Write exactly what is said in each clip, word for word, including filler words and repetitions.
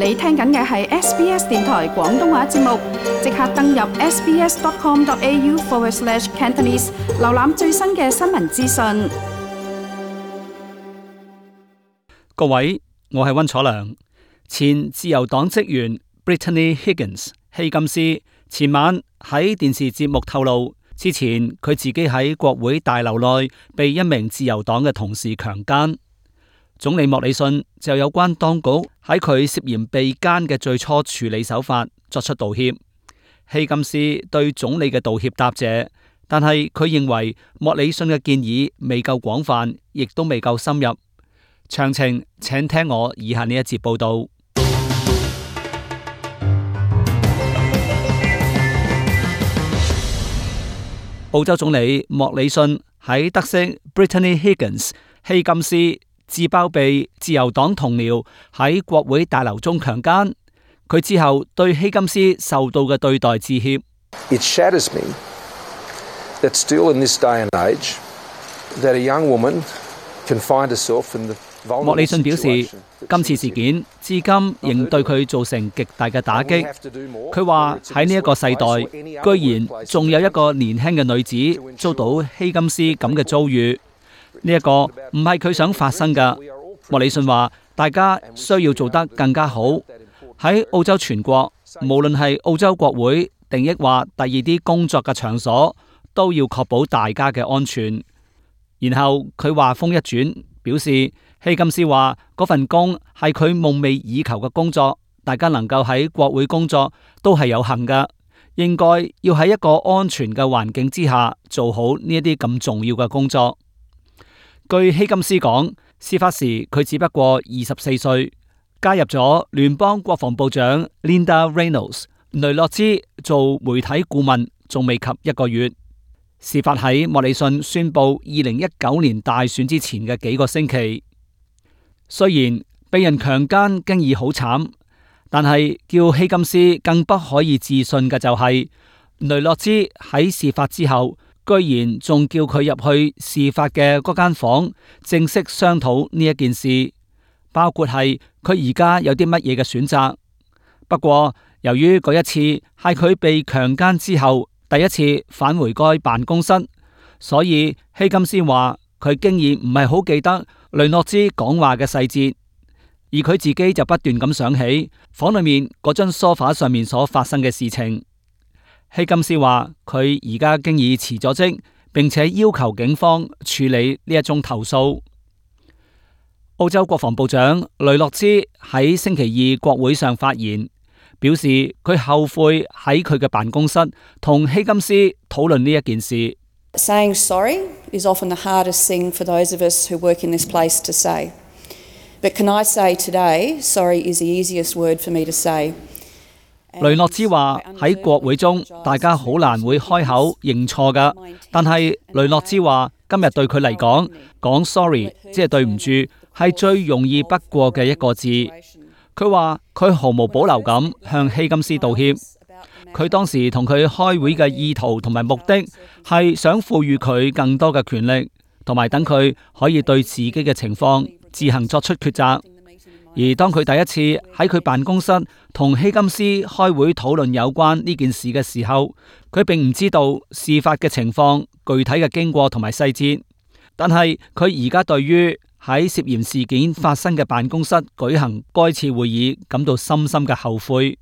你聽緊嘅係 S B S 電台廣東話節目，即刻登入 sbs.com.au forward slash Cantonese， 瀏覽最新嘅新聞資訊。各位，我係溫楚良。前自由黨職員 Brittany Higgins 希金斯前晚喺電視節目透露，之前佢自己喺國會大樓內被一名自由黨嘅同事強姦。總理莫里遜就有關當局喺佢涉嫌被姦嘅最初處理手法作出道歉。希金斯對總理嘅道歉答謝，但係佢認為莫里遜嘅建議未夠廣泛，亦都未夠深入。詳情請聽我以下呢一節報道。澳洲總理莫里遜喺得悉 Brittany Higgins 希金斯自爆被自由黨同僚喺國會大樓中強姦，佢之後對希金斯受到嘅對待致歉。It shatters me that still in this day and age that a young woman can find herself in the vulnerable situation. 莫里遜表示，今次事件至今仍對佢造成極大嘅打擊。佢話喺呢一個世代，居然仲有一個年輕嘅女子遭到希金斯咁嘅遭遇。呢一個唔係佢想發生㗎。莫里遜話：大家需要做得更加好。喺澳洲全國，無論係澳洲國會定抑或第二啲工作嘅場所，都要確保大家嘅安全。然後佢話風一轉，表示希金斯話嗰份工係佢夢寐以求嘅工作，大家能夠喺國會工作都係有幸㗎，應該要喺一個安全嘅環境之下做好呢一啲咁重要嘅工作。據希金斯講，事發時佢只不過二十四歲，加入咗聯邦國防部長 Linda Reynolds 雷諾茲做媒體顧問，仲未及一個月。事發喺莫里遜宣布二零一九年大選之前嘅幾個星期。雖然被人強姦經已好慘，但係叫希金斯更不可以置信嘅就係、是、雷諾茲喺事發之後，居然仲叫佢入去事發嘅嗰間房，正式商討呢一件事，包括係佢而家有啲乜嘢嘅選擇。不過由於嗰一次係佢被強姦之後第一次返回該辦公室，所以希金斯話佢經已唔係好記得雷諾茲講話嘅細節，而佢自己就不斷咁想起房裏面嗰張梳化上面所發生嘅事情。希金斯話佢而家經已辭咗職，並且要求警方處理呢一宗投訴。澳洲國防部長雷諾茲喺星期二國會上發言，表示佢後悔喺佢嘅辦公室同希金斯討論呢一件事。Saying sorry is often the hardest thing for those of us who work in this place to say. But can I say today, sorry is the easiest word for me to say. 雷諾茲話喺國會中，大家好難會開口認錯㗎。但係雷諾茲話今日對佢嚟講，講 sorry 即係對唔住，係最容易不過嘅一個字。佢話佢毫無保留咁向希金斯道歉。佢當時同佢開會嘅意圖同埋目的係想賦予佢更多嘅權力，同埋等佢可以對自己嘅情況自行作出抉擇。而當佢第一次喺佢辦公室同希金斯開會討論有關呢件事嘅時候，佢並唔知道事發嘅情況、具體嘅經過同埋細節。但係佢而家對於喺涉嫌事件發生嘅辦公室舉行該次會議感到深深嘅後悔。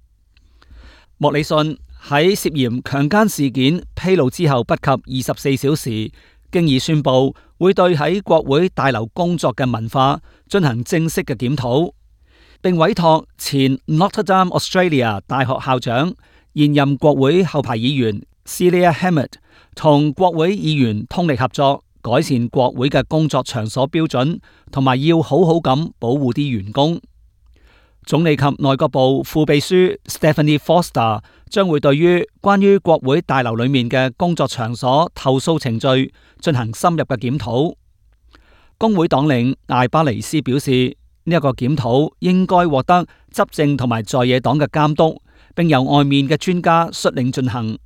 莫里遜喺涉嫌強姦事件披露之後不及二十四小時，經已宣布會對喺國會大樓工作嘅文化進行正式嘅檢討，並委託前 Notre Dame Australia 大學校長、現任國會後排議員 Celia Hammond 同國會議員通力合作，改善國會嘅工作場所標準，同埋要好好咁保護啲員工。總理及內閣部副秘書 Stephanie Foster 將會對於關於國會大樓裏面嘅工作場所投訴程序進行深入嘅檢討。工會黨領艾巴尼斯表示，呢、這、一個檢討應該獲得執政同埋在野黨嘅監督，並由外面嘅專家率領進行。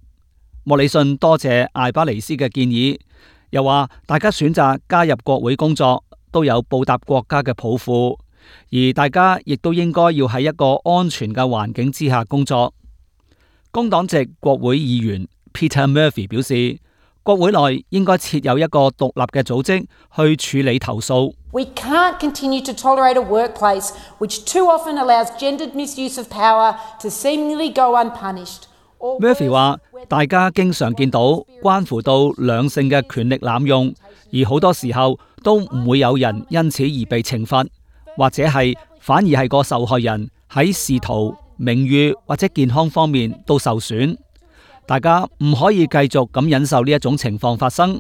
莫里遜多謝艾巴尼斯嘅建議，又話大家選擇加入國會工作都有報答國家嘅抱負，而大家亦都應該要喺一個安全嘅環境之下工作。工黨籍國會議員 Peter Murphy 表示，國會內應該設有一個獨立嘅組織去處理投訴。We can't continue to tolerate a workplace which too often allows gendered misuse of power to seemingly go unpunished. Murphy 話：大家經常見到關乎到兩性嘅權力濫用，而好多時候都唔會有人因此而被懲罰，或者係反而係個受害人喺仕途、名譽或者健康方面都受損。大家唔可以繼續咁忍受呢一種情況發生。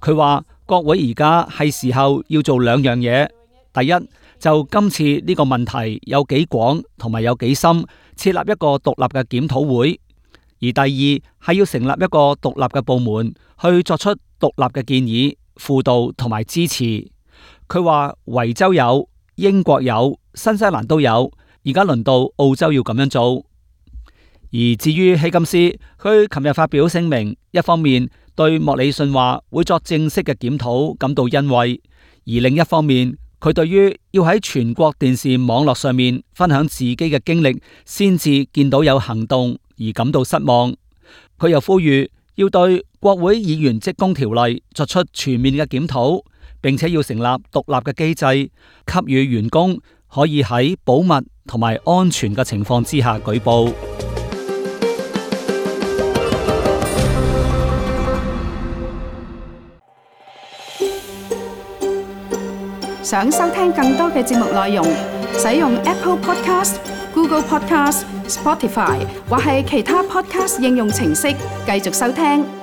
佢話國會而家係時候要做兩樣嘢，第一就今次呢個問題有幾廣同埋有幾深，設立一個獨立嘅檢討會；而第二係要成立一個獨立嘅部門去作出獨立嘅建議、輔導同埋支持。佢話維州有、英國有、新西蘭都有，而家輪到澳洲要咁樣做。而至於希金斯，佢琴日發表聲明，一方面對莫里遜話會作正式嘅檢討感到欣慰，而另一方面佢對於要喺全國電視網絡上面分享自己嘅經歷先至見到有行動而感到失望。佢又呼籲要對國會議員職工條例作出全面嘅檢討，並且要成立獨立嘅機制，給予員工可以喺保密同埋安全嘅情況之下舉報。想收聽更多嘅節目內容，使用 Apple Podcast、Google Podcast、Spotify 或係其他 Podcast 應用程式繼續收聽。